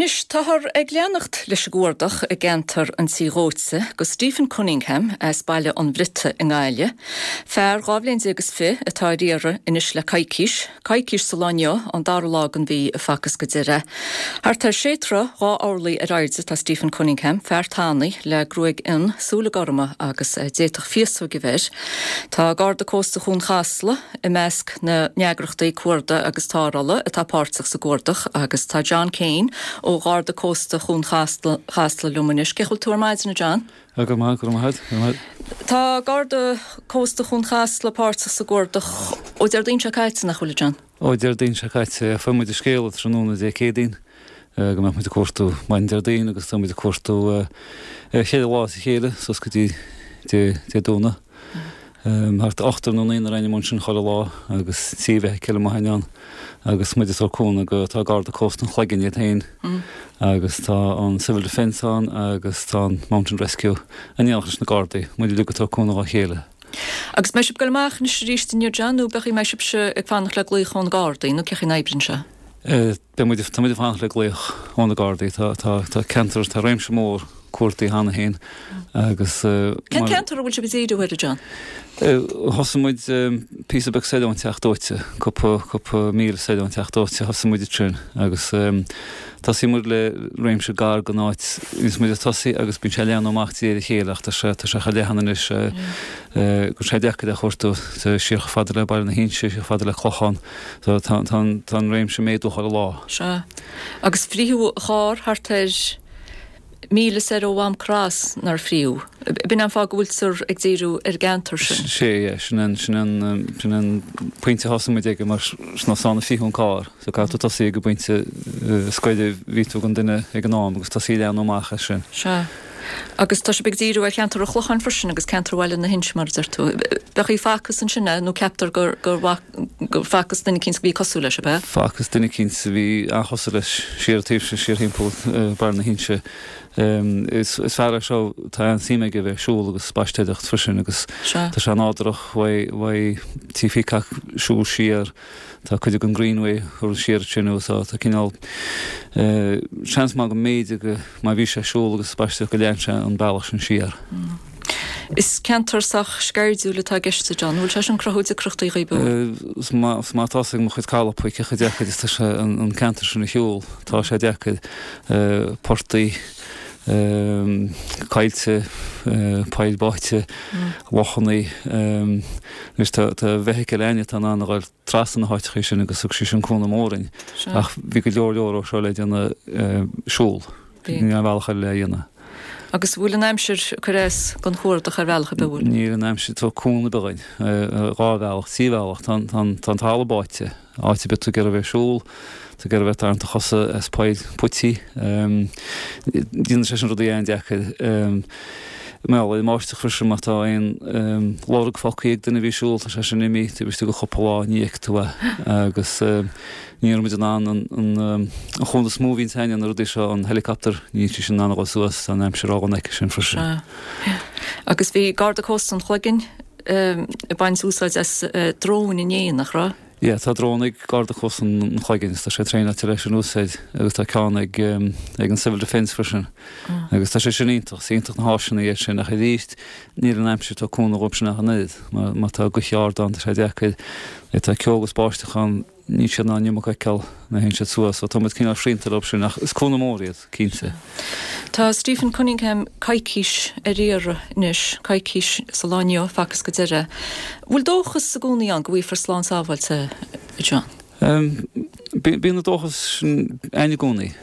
Anois, táthar ag leanacht leis an gcuardach i gceantar an Tí Dhóite do Stephen Cunningham as Baile an Bhriotaigh i nGaillimh, fear 12 bhliain is fi atá ar iarraidh anois le coicís, coicís sa lá inniu, an dara lá den mhí a facthas go deireadh é. Thart ar sé troigh, 2 orlaí ar airde atá Stephen Cunningham, fear tanaí le gruaig fhionn, súile gorma agus d'fhéadfadh féasóg a bheith air. Tá Garda Cósta Chuan Chasla, i measc na n-eagrachtaí cuardaigh agus tarrthála atá páirteach sa gcuardach agus tá John Kane ó Gharda Cósta Chuan Chasla liom anois. Cén chaoi a bhfuil tú ar maidin, a John? Go maith, go raibh maith agat, go raibh maith agat. Tá Garda Cósta Chuan Chasla páirteach sa gcuardach ó Déardaoin seo caite, nach bhfuil, a John? Ó Déardaoin seo caite, fuair muid an scéala tráthnóna Dé Céadaoin go mbeadh muid ag cuartú maidin Déardaoin agus tá muid ag cuartú cheithre lá as a chéile suas go dtí Dé Domhnaigh. Thart ochtar nó naonúr againn ansin chuile lá agus trí bhfeithicil amuigh ann agus muid ag tabhairt cúnamh go, tá Garda Cósta an Chloiginn iad féin agus tá an Civil Defence ann agus tá an Mountain Rescue in éineacht leis na Gardaí, muid uilig ag tabhairt cúnamh dhá chéile. Agus mbeidh sibh ag goil amach anois arís inniu John nó b'fhéidir mbeidh sibhse ag fanacht le glaoch ó na Gardaí nó cén chaoi a n-oibríonn sé? Beidh muid, tá muid ag fanacht le glaoch ó na Gardaí. Tá, tá, tá ceantar, tá réimse mór cuardaigh cheana féin agus. Cén ceantar a bhfuil sibh ag díriú air, a John? Thosaigh muid píosa beag soir ón Teach Dóite, cúpla, cúpla míle soir ón Teach Dóite, thosaigh muid ansin agus tosaíonn muid le réimse gar don áit a bhíonns muid ag tosaí agus bíonn sé ag leathnú amach de réir a chéile ach tá sé, tá sé chomh leathan anois go bhfuil sé deacair a chuartú, siar chomh fada le Baile na hInse, siar chomh fada le Clochán. So tá an réimse ag méadú chuile lá. Sea. Agus frítheadh an carr thart ar mhíle soir ó Mham Cross, nár frítheadh? B'in an fáth go bhfuiltear ag díriú ar an gceantar sin. Sea, yeah. Sin an, sin an, sin an pointe a thosaigh muid aige mar sin ansan a frítheadh an carr. So caithfidh tú tosaí ag an bpointe is gaire a bhí tú don duine ag an am agus tosaí ag leathnú amach as sin. Sea. Agus tá sibh ag díriú ar cheantar an Chlocháin freisin agus ceantar Bhaile na hInse mar a deir tú. B'fhéidir facthas ansin é nó ceaptar gur gur gur facthas duine eicínt a bhí cosúil leis, ab ea? Facthas duine eicínt a bhí an-chosúil leis siar an taobh sin, siar thimpeall Baile na hInse. Is is fear é seo, tá an-suim aige a bheith ag siúl agus ag spaisteoireacht freisin agus tá sé nádúrach uaidh uaidh tchífeá ag siúl siar. Tá cuid den Greenway curtha siar ansin agus tá cineál seans maith go mb'fhéidir go má bhí sé ag siúl agus ag spaisteoireacht go lean sé an bealach sin siar. Is ceantar sách sceirdiúil atá i gceist a John. An bhfuil sé sin ag cruthú deacrachtaí dhaoibh? Is maith atá a fhios ag mo chuid colleagues cé chomh deacair is tá sé an ceantar sin a shiúl. Tá sé deacair. Portaigh, coillte, poill báite, lochannaí. Anois tá feithicil againne atá in ann a dhul trasna na háiteachaí sin agus thug sí sin cúnamh mór dúinn. Ach bhí go leor leor ó seo le déanamh siúl. Níl aon bhealach eile le dhéanamh. Agus bhfuil an aimsir ag cur as don chuardach ar bhealach ar bith, bhfuil? Níl an aimsir ag tabhairt cúnamh ar bith dúinn. Dhá bhealach, trí bhealach. Tá an talamh báite. Áit ar bith tú ag iarraidh a bheith ag siúl, tú ag iarraidh a bheith ag tarraingt do chosa as poill puití. Déanann sé sin rudaí an-deacair. Mar gheall ar an mbáisteach freisin, má tá aon lorg fágtha ag duine a bhí ag siúl, tá sé sin imithe taobh istigh de chúpla lá, ní fheicfidh tú é. Agus ní raibh muid in ann an chúnamh is mó a bhíonns againne na rudaí seo, an helicopter, níl sí sin in ann a dhul suas, tá an aimsir ródhona aici sin freisin. Agus bhí Garda Cósta an Chloiginn ag baint úsáid as dróin inné, nach raibh? Yeah, tá drón ag Garda Cósta an Chloiginn agus tá sé traenáilte leis an úsáid agus tá ceann ag ag an Civil Defence freisin. Agus tá sé sin iontach, is iontach na háiseanna iad sin ach arís níl an aimsir ag tabhairt cúnamh dhóibh sin ach an oiread. Má má tá gaoth ard ann tá sé deacair. Má tá ceo agus báisteach ann níl siad in ann an iomarca a fheiceáil nuair a théann siad suas. So tá muid cineál srianta leo sin ach is cúnamh mór iad, cinnte. Tá Stephen Cunningham coicís ar iarraidh anois, coicís sa lá inniu, facthas go deireadh. Bhfuil dóchas i gcónaí ann go bhfaighfear slán sábháilte é, John? Bíonn an dóchas sin ann i gcónaí,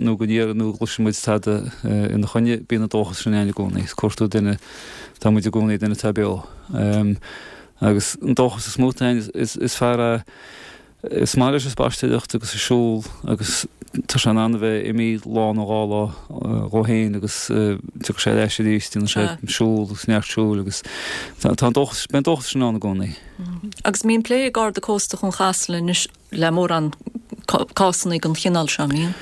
nó go ndéarfaidh nó go gcloiseann muid tada ina choinne, bíonn an dóchas sin ann i gcónaí. Is cuartú duine, tá muid i gcónaí duine atá beo. Agus an dóchas is mó atá ann, is fear é Is maith leis an spaisteoireacht agus an siúl agus tá sé in ann a bheith imithe lá nó dhá lá dhó féin agus tiocfaidh sé ar ais arís, déanann sé siúl agus neart siúil agus tá an dóchas, beidh an dóchas sin ann i gcónaí. Agus mbíonn plé ag Garda Cósta Chuan Chasla anois le mórán cásanna den chineál seo, an mbíonn?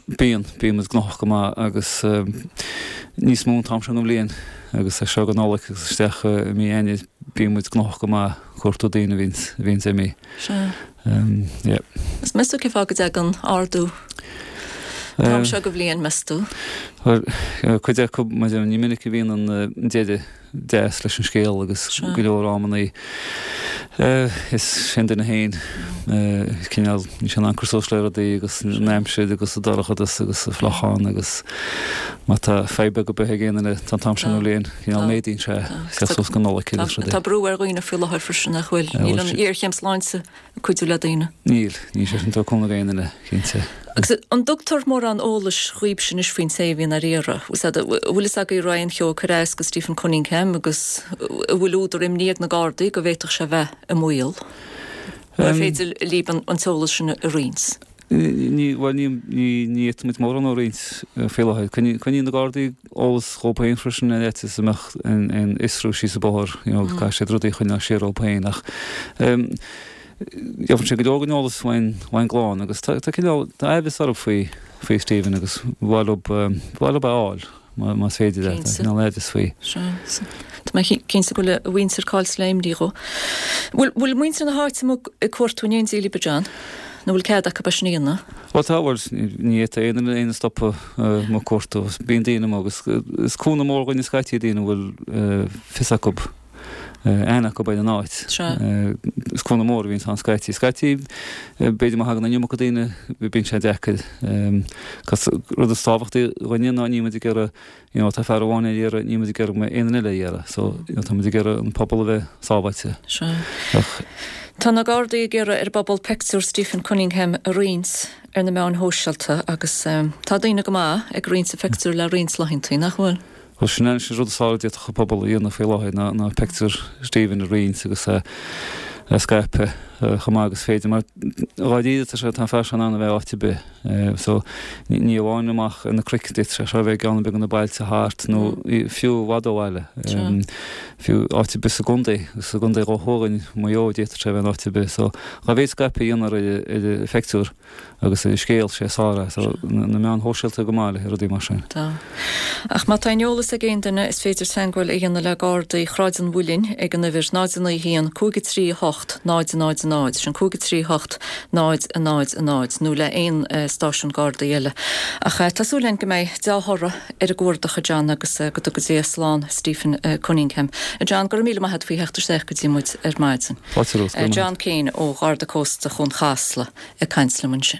Bíonn, bíonn muid gnóthach go maith agus níos mó an t-am seo den bhliain agus as seo go Nollaig agus isteach i mí Eanáir bíonn muid gnóthach go maith. cuartú daoine a bhíonns, a bhíonns imithe. Sea. Yeah. Is meas tú cén fáth go dtagann ardú? An t-am seo go bhliain, meas tú? Bhuel, cuid acu, mar ní minic a bhíonn an deireadh deas leis an scéal agus go leor amannaí is sé an duine féin cineál, níl sé in ann cur suas le rudaí agus an aimsir agus an dorchadas agus an fliuchán agus má tá fadhb beag ar bith ag aon duine tá an t-am sin den bhliain, cineál méadaíonn sé suas go Nollaig agus rudaí. Tá brú ar dhaoine faoi láthair freisin nach bhfuil? Níl an ghéarchéim sláinte ag cuidiú le daoine. Níl, níl sé sin ag tabhairt cúnamh d'aon duine, cinnte. Agus an dtugtar mórán eolais dhaoibhse anois faoin té a bhíonn ar iarraidh? An bhfuil fhios agaibh an raibh aon cheo ag cur as go Stephen Cunningham agus an bhfuil údar imní ag na Gardaí go bhféadfadh sé a bheith i mbaol? An féidir libh an t-eolas sin a roinnt? Ní, bhuel, ní, ní, ní fhéadfaimid mórán a roinnt faoi láthair. Coinníonn na Gardaí eolas dhóibh féin freisin ar fhaitíos go mbeadh aon fhiosrú síos an bóthar, you know, caithfidh siad rudaí a choinneáil siar dhóibh féin ach gheobhann siad go leor den eolas ón, ón gclann agus tá, tá cineál, tá aimhleas orthu faoi, faoi Stephen agus ba mhaith leo, ba mhaith leo é a fháil. Más féidir leat, tá cineál aimhleas faoi. Sea. Tá mé cinnte go bhfuil a mhuintir caillte le imní dhó. Bhfuil bhfuil muintir na háite amuigh ag cuartú in éindí libh, a John? Nó bhfuil cead acu é sin a dhéanamh? Bhuel tá, bhuel ní fhéadfadh aon duine éinne a stopadh amuigh ag cuartú. Bíonn daoine amuigh agus is cúnamh mór dhuinn scaití daoine a bhfuil fios acu. aithne acu ar an áit. Is cúnamh mór a bhíonns ann scaití. Scaití, b'fhéidir má thagann an iomarca daoine, bíonn sé deacair. Cos rud is tábhachtaí dhuinne ná níl muid ag iarraidh, you know, tá fear amháin ar iarraidh, níl muid ag iarraidh go mbeidh aon duine eile ar iarraidh. So, you know, tá muid ag iarraidh an pobal a bheith sábháilte. Sea. Ach. Tá na Gardaí ag iarraidh ar an bpobal peictiúr Stephen Cunningham a roinnt ar na meáin shóisialta agus tá daoine go maith ag roinnt a phictiúr le roinnt laethanta, nach bhfuil? Bhuel, sin an rud is fearr a d'fhéadfadh an pobal a dhéanamh faoi láthair ná ná peictiúr Stephen a roinnt agus a a scaipeadh chomh maith agus is féidir mar dháiríre tá sé tá an fear seo in ann a bheith áit ar bith so ní amháin amach ar na cnoic d'fhéadfadh sé seo a bheith i gceann ar bith de na bailte thart nó fiú i bhfad ó bhaile fiú áit ar bith sa gcontae sa gcontae ó thuaidh Maigh Eo d'fhéadfadh sé a bheith in áit ar bith so dá mhéad scaipeadh a dhéanfar ar ar an phictiúr Agus an scéal, sé is fearr é. So, na meáin shóisialta go maith le rudaí mar sin. Tá. Ach má tá aon eolas ag aon duine, is féidir teagmháil a dhéanamh le Gardaí Shráid an Mhuilinn ag an uimhir 0 9 1 5 3 8 0 0 0, sin 5 3 8 0 0 0, nó le aon stáisiún Gardaí eile. Ach tá súil againn go mbeidh dea-thoradh ar an gcuardach, a John, agus go dtuga Dia slán Stephen Cunningham. A John, go raibh míle maith agat faoi theacht isteach go dtí muid ar maidin. Fáilte romhat, go raibh maith agat. John Keane ó Gharda Cósta Chuan Chasla. ag caint liom ansin.